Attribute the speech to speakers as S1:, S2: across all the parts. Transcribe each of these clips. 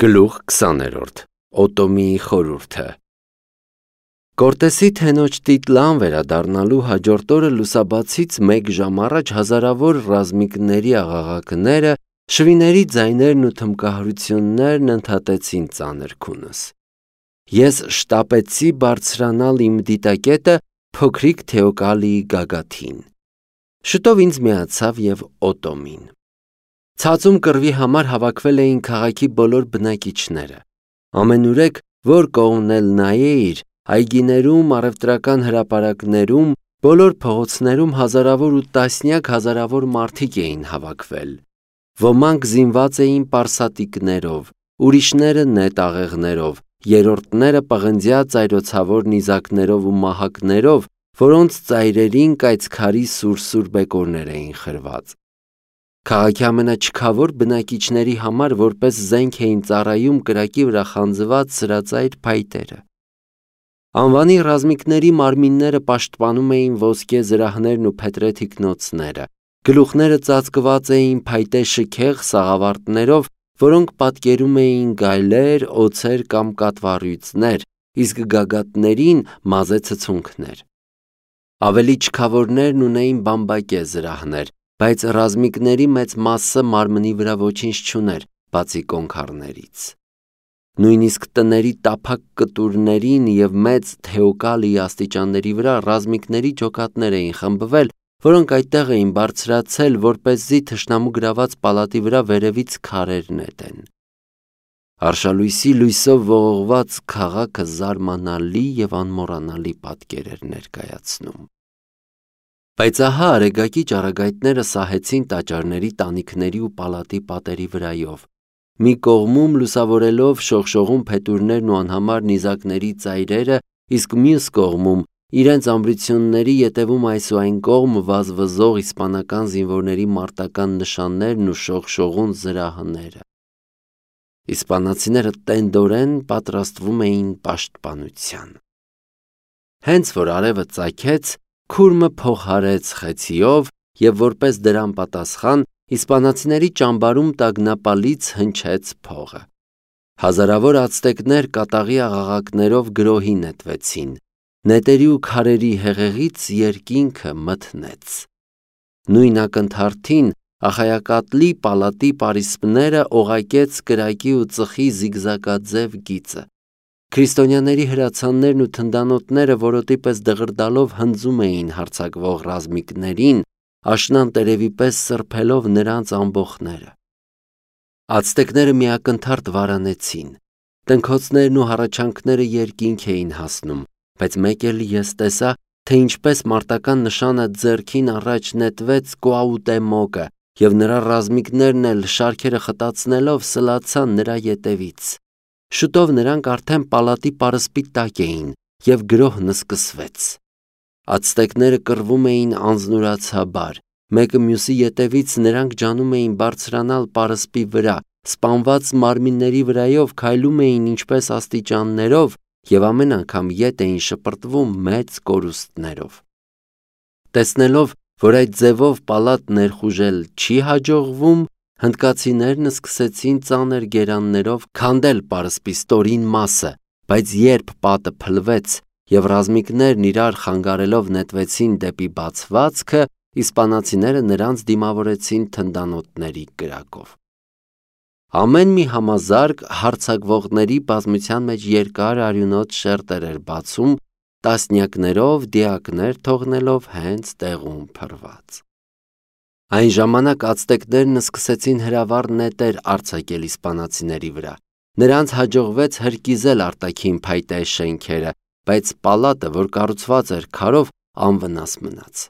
S1: Գլուխ 20-րդ Օտոմիի խորհուրդը Կորտեսի թենոջ տիտլան վերադառնալու հաջորդ օրը լուսաբացից մեկ ժամ առաջ հազարավոր ռազմիկների աղաղակները, շվիների ձայներն ու թմբկահարություններն ընդհատեցին ծանր քունս։ Ես շտապեցի բարձրանալ իմ դիտակետը փոքրիկ Թեոկալիի գագաթին։ Շուտով ինձ միացավ և Օտոմին։ Ցածում կռվի համար հավաքվել էին քաղաքի բոլոր բնակիչները։ Ամենուրեք, որ կողմն էլ նայեիր, այգիներում, առևտրական հրապարակներում, բոլոր փողոցներում հազարավոր ու տասնյակ հազարավոր մարդիկ էին հավաքվել։ Ոմանք զինված էին պարսատիկներով, ուրիշները նետաղեղներով, երրորդները պղնձյա ծայրոցավոր նիզակներով ու մահակներով, որոնց ծայրերին կայծքարի սուր բեկորներ էին խրված։ Քաղաքի ամենաչքավոր բնակիչների համար որպես զենք էին ծառայում կրակի վրա խանձված սրածայր փայտերը։ Անվանի ռազմիկների մարմինները պաշտպանում էին ոսկե զրահներն ու փետրե թիկնոցները, գլուխները ծածկված էին փայտե շքեղ սաղավարտներով, որոնք պատկերում էին գայլեր, օձեր կամ կատվառյուծներ, իսկ գագաթներին մազե ցցունքներ։ Ավելի չքավորներն ունեին բամբակե զրահներ, բայց ռազմիկների մեծ մասը մարմնի վրա ոչինչ չուներ, բացի կոնքառներից։ Նույնիսկ տների տափակ կտուրներին և մեծ Թեոկալիի աստիճանների վրա ռազմիկների ջոկատներ էին խմբվել, որոնք այդտեղ էին բարձրացել, որպեսզի թշնամու գրաված պալատի վրա վերևից քարեր նետեն։ Արշալույսի լույսով ողողված քաղաքը զարմանալի և անմոռանալի պատկեր էր ներկայացնում։ Բայց ահա արեգակի ճառագայթները սահեցին տաճարների, տանիքների ու պալատի պատերի վրայով։ Մի կողմում լուսավորելով շողշողուն փետուրներն ու անհամար նիզակների ծայրերը, իսկ մյուս կողմում իրենց ամրությունների ետևում այս ու այն կողմ վազվզող իսպանական զինվորների մարտական նշաններն ու շողշողուն զրահները։ Իսպանացիները տենդորեն պատրաստվում էին պաշտպանության։ Հենց որ արևը ծագեց, քուրմը փոխարեց խեցիով և որպես դրան պատասխան իսպանացիների ճամբարում տագնապալից հնչեց փողը։ Հազարավոր ացտեկներ կատաղի աղաղակներով գրոհի նետվեցին։ Նետերի ու քարերի հեղեղից երկինքը մթնեց։ Նույն ակնթարթին Ախայակատլի պալատի պարիսպները օղակեց կրակի ու ծխի զիգզագաձև գիծը։ Քրիստոնյաների հրացաններն ու թնդանոթները որոտի պես դղրդալով հնձում էին հարձակվող ռազմիկներին, աշնան տերևի պես սրբելով նրանց ամբոխները։ Ացտեկները մի ակնթարթ վարանեցին։ Տնքոցներն ու հառաչանքները երկինք էին հասնում, բայց մեկ էլ ես տեսա, թե ինչպես մարտական նշանը ձեռքին առաջ նետվեց Կուաուտեմոկը, և նրա ռազմիկներն էլ շարքերը խտացնելով սլացան նրա ետևից։ Շուտով նրանք արդեն պալատի պարսպի տակ էին, և գրոհն սկսվեց։ Ացտեկները կռվում էին անձնուրացաբար, մեկը մյուսի ետևից նրանք ջանում էին բարձրանալ պարսպի վրա, սպանված մարմինների վրայով քայլում էին ինչպես աստիճաններով և ամեն անգամ ետ էին շպրտվում մեծ կորուստներով։ Տեսնելով, որ այդ ձևով պալատ ներխուժել չի հաջողվում, հնդկացիներն սկսեցին ծանր գերաններով քանդել պարսպի ստորին մասը, բայց երբ պատը փլվեց և ռազմիկներն իրար խանգարելով նետվեցին դեպի բացվածքը, իսպանացիները նրանց դիմավորեցին թնդանոթների կրակով։ Ամեն մի համազարկ հարձակվողների բազմության մեջ երկար արյունոտ շերտեր էր բացում, տասնյակներով դիակներ թողնելով հենց տեղում փռված։ Այն ժամանակ ացտեկներն սկսեցին հրավառ նետեր արձակել իսպանացիների վրա։ Նրանց հաջողվեց հրկիզել արտաքին փայտե շենքերը, բայց պալատը, որ կառուցված էր քարով, անվնաս մնաց։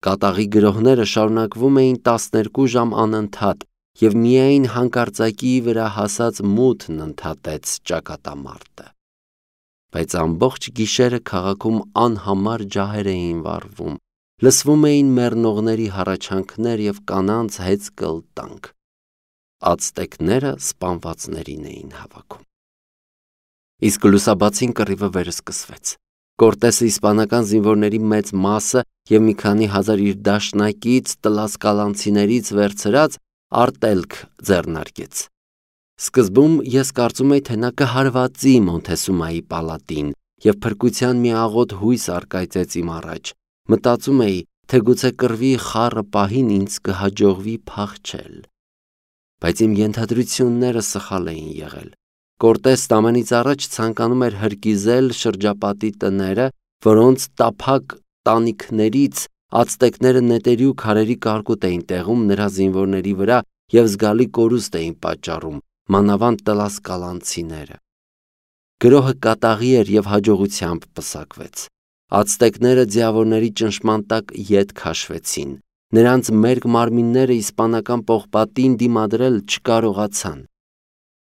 S1: Կատաղի գրոհները շարունակվում էին 12 ժամ անընդհատ, և միայն հանկարծակիի վրա հասած մութն ընդհատեց ճակատամարտը։ Բայց ամբողջ գիշերը քաղաքում անհամար ջահեր էին վառվում, լսվում էին մեռնողների հառաչանքներ և կանանց հեծկլտանք։ Ացտեկները սպանվածներին էին հավաքում։ Իսկ լուսաբացին կռիվը վերսկսվեց։ Կորտեսը իսպանական զինվորների մեծ մասը և մի քանի հազար իր դաշնակից տլասկալանցիներից վերցրած արտելք ձեռնարկեց։ Սկզբում ես կարծում էի, թե նա կհարվածի Մոնթեսումայի պալատին և փրկության մի աղոտ հույս առկայծեց իմ առաջ։ Մտածում էի, թե գուցե կռվի խառը պահին ինձ կհաջողվի փախչել։ Բայց իմ ենթադրությունները սխալ էին եղել։ Կորտեսն ամենից առաջ ցանկանում էր հրկիզել շրջապատի տները, որոնց տափակ տանիքներից ացտեկները նետերի ու քարերի կարկուտ էին տեղում նրա զինվորների վրա և զգալի կորուստ էին պատճառում, մանավանդ տլասկալանցիները։ Գրոհը կատաղի էր և հաջողությամբ պսակվեց։ Ացտեկները ձիավորների ճնշման տակ ետ քաշվեցին։ Նրանց մերկ մարմինները իսպանական պողպատին դիմադրել չկարողացան։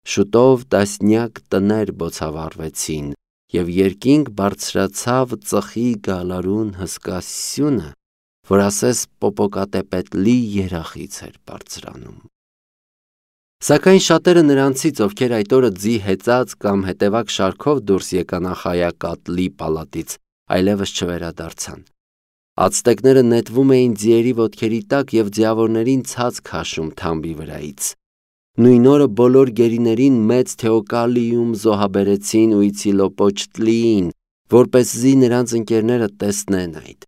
S1: Շուտով տասնյակ տներ բոցավառվեցին, և երկինք բարձրացավ ծխի գալարուն հսկասյունը, որ ասես պոպոկատեպետլի երախից էր բարձրանում։ Սակայն շատերը նրանցից, ովքեր այդ օրը ձի հեծած կամ հետևակ շարքով դուրս եկան Ախայակատլի պալատից, այլևս չվերադարձան։ Ացտեկները նետվում էին ձիերի ոտքերի տակ և ձիավորներին ցած քաշում թամբի վրայից։ Նույն օրը բոլոր գերիներին մեծ Թեոկալիում զոհաբերեցին Ուիցիլոպոչտլիին, որպեսզի նրանց ընկերները տեսնեն այդ։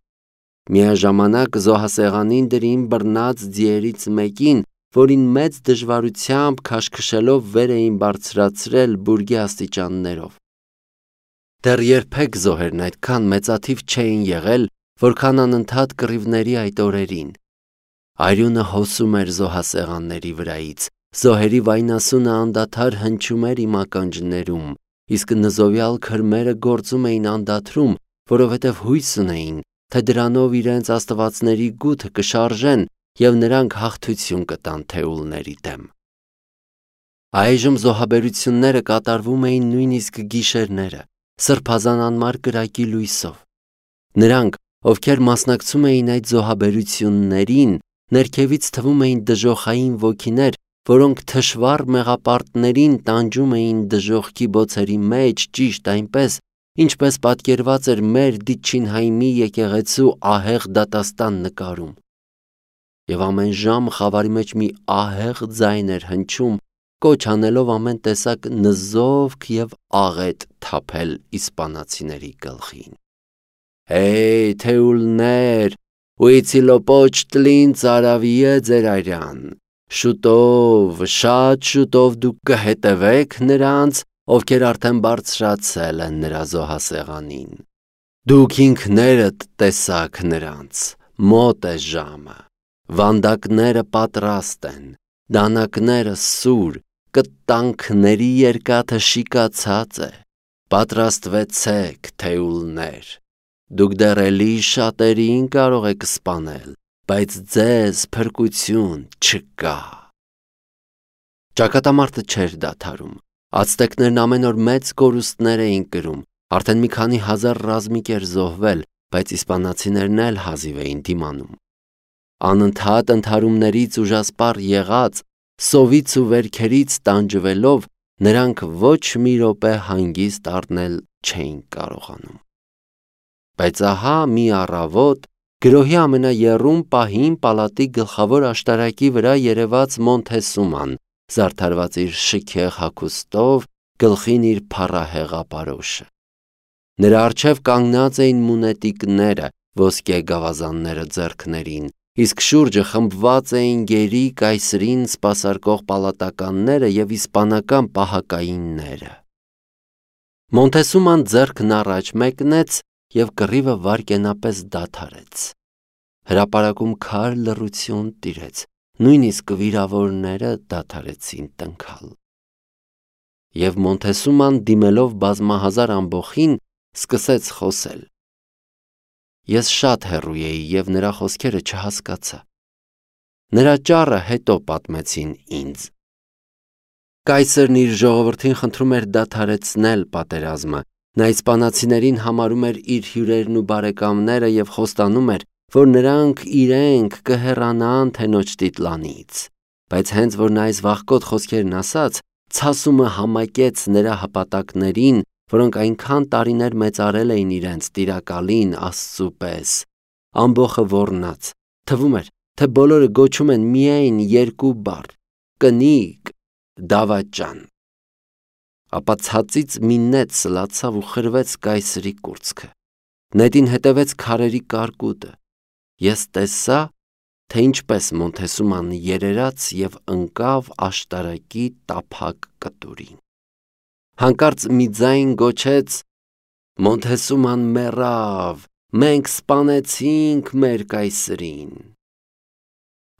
S1: Միաժամանակ զոհասեղանին դրին բռնած ձիերից մեկին, որին մեծ դժվարությամբ քաշքշելով վեր էին բարձրացրել բուրգի աստիճաններով։ Դեռ երբեք զոհերն այդքան մեծաթիվ չէին եղել, որքան անընդհատ կռիվների այդ օրերին։ Արյունը հոսում էր զոհասեղանների վրայից, զոհերի վայնասունը անդադար հնչում էր իմ ականջներում, իսկ նզովյալ քրմերը գործում էին անդադրում, որովհետև հույս ունեին, թե դրանով իրենց աստվածների գութը կշարժեն և նրանք հաղթություն կտան թեուլների դեմ։ Այժմ զոհաբերությունները կատարվում էին նույնիսկ գիշերները, սրբազան անմար կրակի լույսով։ Նրանք, ովքեր մասնակցում էին այդ զոհաբերություններին, ներքևից թվում էին դժոխային ոգիներ, որոնք թշվառ մեղապարտներին տանջում էին դժոխքի բոցերի մեջ ճիշտ այնպես, ինչպես պատկերված էր մեր Դիչինհայմի եկեղեցու ահեղ դատաստան նկարում։ Եվ ամեն ժամ խավարի մեջ մի ահեղ ձայն էր հնչում, կոչ անելով ամեն տեսակ նզովք և աղետ թափել իսպանացիների գլխին։ «Հեյ, թեուլներ, Ուիցիլոպոչտլին ծարավի է ձեր արյան։ Շուտով, շատ շուտով դուք կհետևեք նրանց, ովքեր արդեն բարձրացել են նրա զոհասեղանին։ Դուք ինքներդ տեսաք նրանց, մոտ է ժամը։ Վանդակները պատրաստ են, դանակները սուր, կտանքների երկաթը շիկացած է։ Պատրաստվեցեք, թեուլներ։ Դուք դեռ էլի շատերին կարող եք սպանել, բայց ձեզ փրկություն չկա»։ Ճակատամարտը չէր դադարում։ Ացտեկներն ամեն օր մեծ կորուստներ էին կրում, արդեն մի քանի հազար ռազմիկ էր զոհվել, բայց իսպանացիներն էլ հազիվ էին դիմանում։ Անընդհատ ընդհարումներից ուժասպառ եղած, սովից ու վերքերից տանջվելով, նրանք ոչ մի րոպե հանգիստ առնել չէին կարողանում։ Բայց ահա մի առավոտ գրոհի ամենաեռում պահին պալատի գլխավոր աշտարակի վրա երևաց Մոնթեսուման, զարդարված իր շքեղ հագուստով, գլխին իր փառահեղապարոշը։ Նրա առջև կանգնած էին մունետիկները, ոսկե գավազանները ձեռքներին, իսկ շուրջը խմբված էին գերի կայսրին սպասարկող պալատականները և իսպանական պահակայինները։ Մոնթեսուման ձեռքն առաջ մեկնեց և կռիվը վայրկենապես դադարեց։ Հրապարակում քար լռություն տիրեց, նույնիսկ վիրավորները դադարեցին տնքալ։ Եվ Մոնթեսուման, դիմելով բազմահազար ամբոխին, սկսեց խոսել։ Ես շատ հեռու էի և նրա խոսքերը չհասկացա։ Նրա ճառը հետո պատմեցին ինձ։ Կայսրն իր ժողովրդին խնդրում էր դադարեցնել պատերազմը, նա իսպանացիներին համարում էր իր հյուրերն ու բարեկամները և խոստանում էր, որ նրանք իրենք կհեռանան թենոջ դիտլանից։ Բայց հենց որ նա այս վախկոտ խոսքերն ասաց, ցասումը համակեց նրա հպատակներին, որոնք այնքան տարիներ մեծարել էին իրենց տիրակալին Աստծու պես։ Ամբոխը ոռնաց, թվում էր, թե բոլորը գոչում են միայն երկու բառ՝ կնիկ, դավաճան։ Ապա ցածից մի նետ սլացավ ու խրվեց կայսրի կուրծքը։ Նետին հետևեց քարերի կարկուտը։ Ես տեսա, թե ինչպես Մոնթեսուման երերաց և ընկավ աշտարակի տափակ կտուրին։ Հանկարծ մի ձայն գոչեց. «Մոնթեսուման մեռավ, մենք սպանեցինք մեր կայսրին»։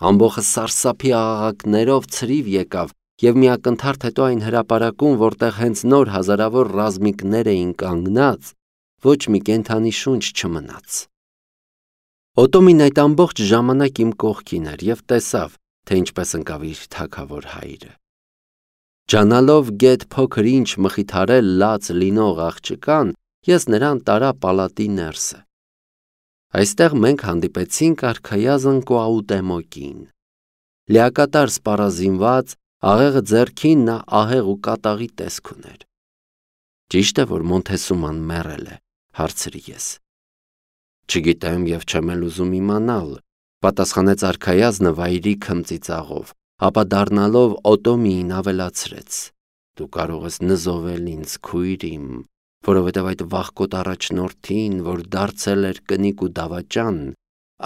S1: Ամբոխը սարսափի աղաղակներով ցրիվ եկավ և մի ակնթարթ հետո այն հրապարակում, որտեղ հենց նոր հազարավոր ռազմիկներ էին կանգնած, ոչ մի կենդանի շունչ չմնաց։ Օտոմին այդ ամբողջ ժամանակ իմ կողքին էր և տեսավ, թե ինչպես ընկավ իր թագավոր հայրը։ Ջանալով գետ փոքր ինչ մխիթարել լաց լինող աղջկան, ես նրան տարա պալատի ներսը։ Այստեղ մենք հանդիպեցինք արքայազն Կոաուտեմոկին։ Լիակատար սպառազինված, աղեղը ձեռքին, նա ահեղ ու կատաղի տեսք ուներ։ «Ճիշտ է, որ Մոնթեսուման մեռել է», հարցրի ես։ «Չգիտեմ և չեմ էլ ուզում իմանալ», պատասխանեց արքայազնը վայրի քմծիծաղով, ապա դառնալով Օտոմիին ավելացրեց. «Դու կարող ես նզովել ինձ, քույր իմ, որովհետև այդ վախկոտ առաջնորդին, որ դարձել էր կնիկ ու դավաճան,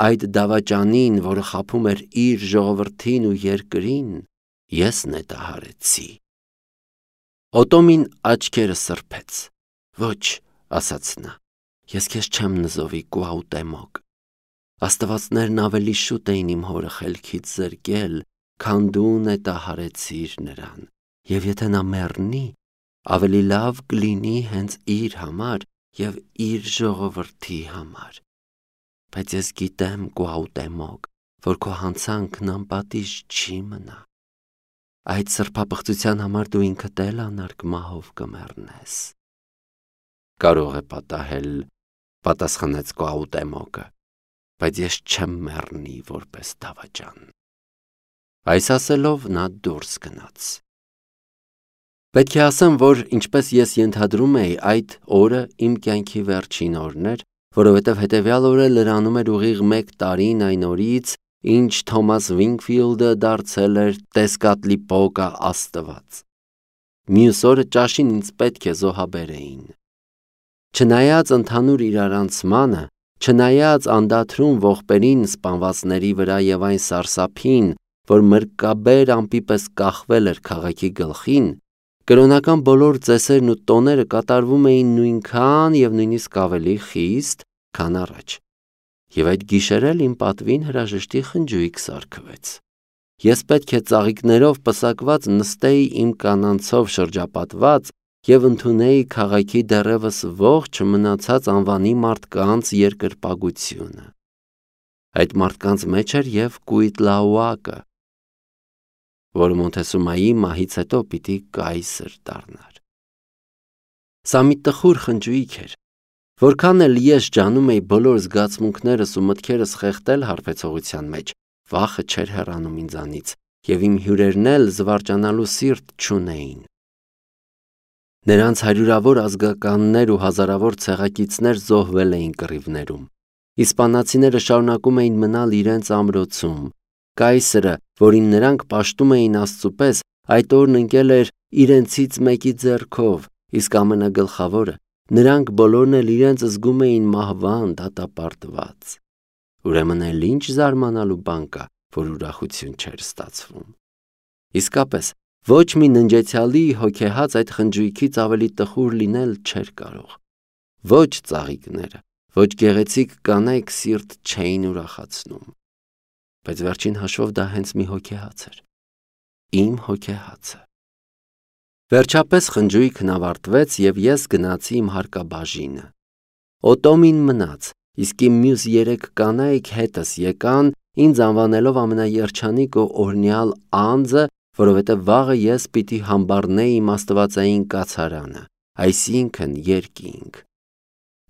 S1: այդ դավաճանին, որը խաբում էր իր ժողովրդին ու երկրին, ես նետահարեցի»։ Օտոմին աչքերը սրբեց։ «Ոչ», ասաց նա, «ես քեզ չեմ նզովի, Կոաուտեմոկ։ Աստվածներն ավելի շուտ էին իմ հորը խելքից զրկել, քան դու նետահարեցիր նրան, և եթե նա մեռնի, ավելի լավ կլինի հենց իր համար և իր ժողովրդի համար։ Բայց ես գիտեմ, Կոաուտեմոկ, որ քո հանցանքն անպատիժ չի մնա։ Այդ սրբապղծության համար դու ինքդ էլ անարգ մահով կմեռնես»։ «Կարող է պատահել», պատասխանեց Կոաուտեմոկը, «բայց ես չեմ մեռնի որպես դավաճան»։ Այս ասելով նա դուրս գնաց։ Պետք է ասեմ, որ ինչպես ես ենթադրում էի, այդ օրը իմ կյանքի վերջին օրն էր, որովհետև հետևյալ օրը լրանում էր ուղիղ 1 տարին այն օրից, ինչ Թոմաս Վինքֆիլդը դարձել էր Տեսկատլիպոկա աստված։ Մյուս օրը ճաշին ինձ պետք է զոհաբերեին։ Չնայած ընդհանուր իրարանցմանը, չնայած անդադրուն ողբերին սպանվածների վրա և այն սարսափին, որ մրկաբեր ամպի պես կախվել էր քաղաքի գլխին, կրոնական բոլոր ծեսերն ու տոները կատարվում էին նույնքան և նույնիսկ ավելի խիստ, քան առաջ։ Եվ այդ գիշեր էլ իմ պատվին հրաժեշտի խնջույք սարքվեց։ Ես պետք է ծաղիկներով պսակված նստեի իմ կանանցով շրջապատված և ընդունեի քաղաքի դեռևս ողջ մնացած անվանի մարդկանց երկրպագությունը։ Այդ մարդկանց մեջ էր և Կուիտլաուակը, որը Մոնթեսումայի մահից հետո պիտի կայսր դառնար։ Սա մի տխուր խնջույք էր։ Որքան էլ ես ջանում էի բոլոր զգացմունքներս ու մտքերս խեղդել հարբեցողության մեջ, վախը չէր հեռանում ինձանից, և իմ հյուրերն էլ զվարճանալու սիրտ չունեին։ Նրանց հարյուրավոր ազգականներ ու հազարավոր ցեղակիցներ զոհվել էին կռիվներում։ Իսպանացիները շարունակում էին մնալ իրենց ամրոցում։ Կայսրը, որին նրանք պաշտում էին Աստծու պես, այդ օրն ընկել էր իրենցից մեկի ձեռքով, իսկ ամենագլխավորը, նրանք բոլորն էլ իրենց զգում էին մահվան դատապարտված։ Ուրեմն էլ ինչ զարմանալու բան կա, որ ուրախություն չէր ստացվում։ Իսկապես, ոչ մի ննջեցյալի հոգեհաց այդ խնջույքից ավելի տխուր լինել չէր կարող։ Ոչ ծաղիկները, ոչ գեղեցիկ կանայք սիրտ չէին ուրախացնում։ Բայց վերջին հաշվով դա հենց մի հոգեհաց էր։ Իմ հոգեհացը։ Վերջապես խնջույքն ավարտվեց և ես գնացի իմ հարկաբաժինը։ Օտոմին մնաց, իսկ իմ մյուս 3 կանայք հետս եկան, ինձ անվանելով ամենաերջանիկ ու օրհնյալ անձը, որովհետև վաղը ես պիտի համբառնեի իմ աստվածային կացարանը, այսինքն երկինք։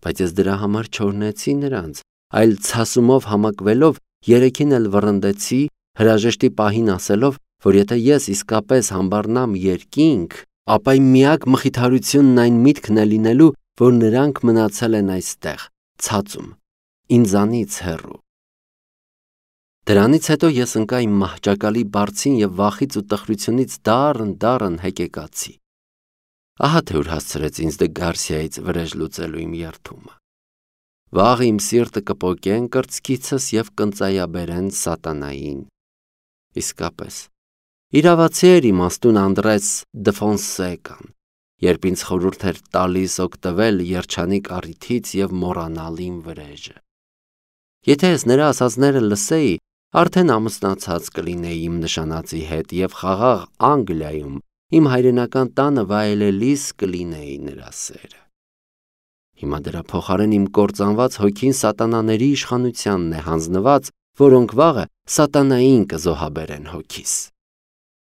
S1: Բայց ես դրա համար չօրհնեցի նրանց, այլ ցասումով համակվելով 3-ին էլ վռնդեցի, հրաժեշտի պահին ասելով, որ եթե ես իսկապես համբառնամ երկինք, ապա իմ միակ մխիթարությունն այն միտքն է լինելու, որ նրանք մնացել են այստեղ, ցածում, ինձանից հեռու։ Դրանից հետո ես ընկա իմ մահճակալի բարձին և վախից ու տխրությունից դառն հեկեկացի։ Ահա թե ուր հասցրեց ինձ Դե Գարսիայից վրեժ լուծելու իմ երդումը։ Վաղ իմ սիրտը կպոկեն կրծքիցս և կընծայաբերեն սատանային։ Իսկապես, իրավացի էր իմաստուն Անդրես Դը Ֆոնսեկան, երբ ինձ խորհուրդ էր տալիս օգտվել երջանիկ առիթից և մոռանալ իմ վրեժը։ Եթե ես նրա ասածները լսեի, արդեն ամուսնացած կլինեի իմ նշանածի հետ և խաղաղ Անգլիայում իմ հայրենական տանը վայելելիս կլինեի նրա սերը։ Հիմա դրա փոխարեն իմ կործանված հոգին սատանաների իշխանությանն է հանձնված, որոնք վաղը սատանային կզոհաբերեն հոգիս։